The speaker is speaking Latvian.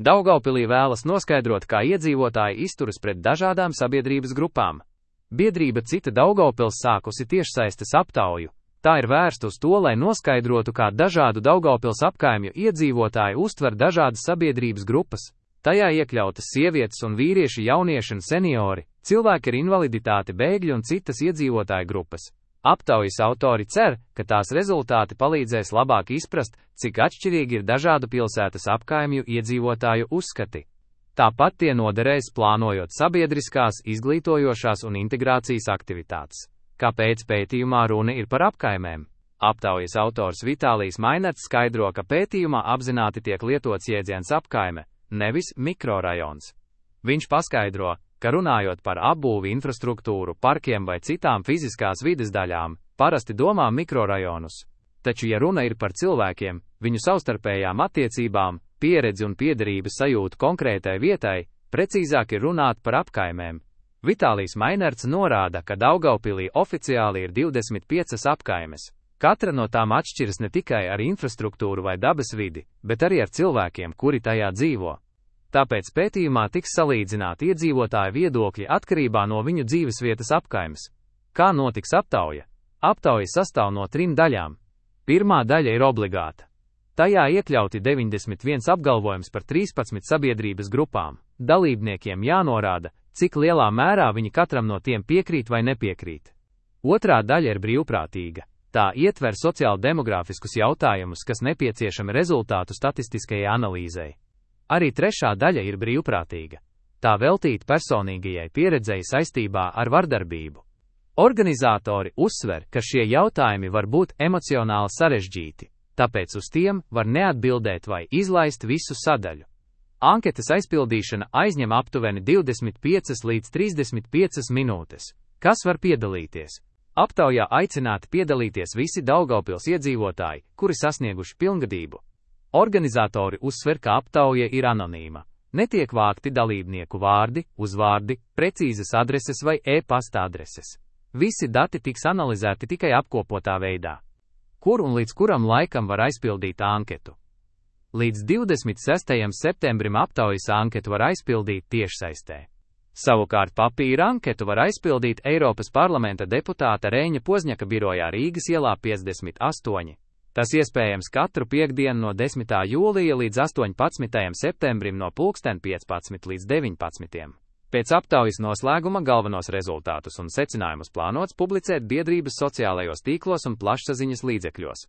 Daugavpilī vēlas noskaidrot, kā iedzīvotāji izturas pret dažādām sabiedrības grupām. Biedrība Cita Daugavpils sākusi tiešsaistes aptauju. Tā ir vērsta uz to, lai noskaidrotu, kā dažādu Daugavpils apkaimju iedzīvotāji uztver dažādas sabiedrības grupas. Tajā iekļautas sievietes un vīrieši, jaunieši un seniori, cilvēki ar invaliditāti, bēgļi un citas iedzīvotāju grupas. Aptaujas autori cer, ka tās rezultāti palīdzēs labāk izprast, cik atšķirīgi ir dažādu pilsētas apkaimju iedzīvotāju uzskati. Tāpat tie noderēs plānojot sabiedriskās, izglītojošās un integrācijas aktivitātes. Kāpēc pētījumā runa ir par apkaimēm? Aptaujas autors Vitālijs Mainerts skaidro, ka pētījumā apzināti tiek lietots jēdziens apkaime, nevis mikrorajons. Viņš paskaidro, ka runājot par apbūvi infrastruktūru, parkiem vai citām fiziskās vides daļām, parasti domā mikrorajonus. Taču, ja runa ir par cilvēkiem, viņu savstarpējām attiecībām, pieredzi un piederības sajūtu konkrētai vietai, precīzāk ir runāt par apkaimēm. Vitālijs Mainerts norāda, ka Daugavpilī oficiāli ir 25 apkaimes. Katra no tām atšķiras ne tikai ar infrastruktūru vai dabas vidi, bet arī ar cilvēkiem, kuri tajā dzīvo. Tāpēc pētījumā tiks salīdzināti iedzīvotāju viedokļi atkarībā no viņu dzīvesvietas apkaimes. Kā notiks aptauja? Aptauja sastāv no 3 daļām. Pirmā daļa ir obligāta. Tajā iekļauti 91 apgalvojums par 13 sabiedrības grupām. Dalībniekiem jānorāda, cik lielā mērā viņi katram no tiem piekrīt vai nepiekrīt. Otrā daļa ir brīvprātīga. Tā ietver sociāl-demogrāfiskus jautājumus, kas nepieciešami rezultātu statistiskajai analīzei. Arī trešā daļa ir brīvprātīga. Tā veltīta personīgajai pieredzei saistībā ar vardarbību. Organizatori uzsver, ka šie jautājumi var būt emocionāli sarežģīti, tāpēc uz tiem var neatbildēt vai izlaist visu sadaļu. Anketas aizpildīšana aizņem aptuveni 25 līdz 35 minūtes. Kas var piedalīties? Aptaujā aicināti piedalīties visi Daugavpils iedzīvotāji, kuri sasnieguši pilngadību. Organizatori uzsver, ka aptauja ir anonīma. Netiek vākti dalībnieku vārdi, uzvārdi, precīzas adreses vai e-pasta adreses. Visi dati tiks analizēti tikai apkopotā veidā. Kur un līdz kuram laikam var aizpildīt anketu? Līdz 26. septembrim aptaujas anketu var aizpildīt tiešsaistē. Savukārt papīra anketu var aizpildīt Eiropas parlamenta deputāta Reņa Pozņaka birojā Rīgas ielā 58. Tas iespējams katru piektdienu no 10. jūlija līdz 18. septembrim no 15 līdz 19. Pēc aptaujas noslēguma galvenos rezultātus un secinājumus plānots publicēt biedrības sociālajos tīklos un plašsaziņas līdzekļos.